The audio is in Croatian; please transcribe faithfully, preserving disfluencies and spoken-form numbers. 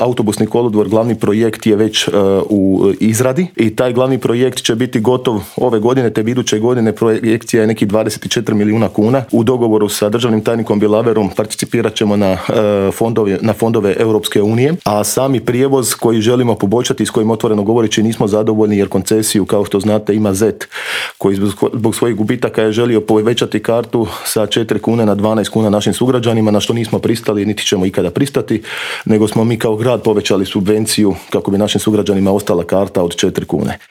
Autobusni kolodvor, glavni projekt je već uh, u izradi i taj glavni projekt će biti gotov ove godine, te iduće godine projekcija je nekih dvadeset četiri milijuna kuna. U dogovoru sa državnim tajnikom Bilaverom participirat ćemo na, uh, fondove, na fondove Europske unije, a sami prijevoz koji želimo poboljšati, s kojim otvoreno govoreći nismo zadovoljni jer koncesiju, kao što znate, ima Zet koji zbog svojih gubitaka je želio povećati kartu sa četiri kune na dvanaest kuna našim sugrađanima, na što nismo pristali niti ćemo ikada pristati, nego smo mi kao grad povećali subvenciju kako bi našim sugrađanima ostala karta od četiri kune.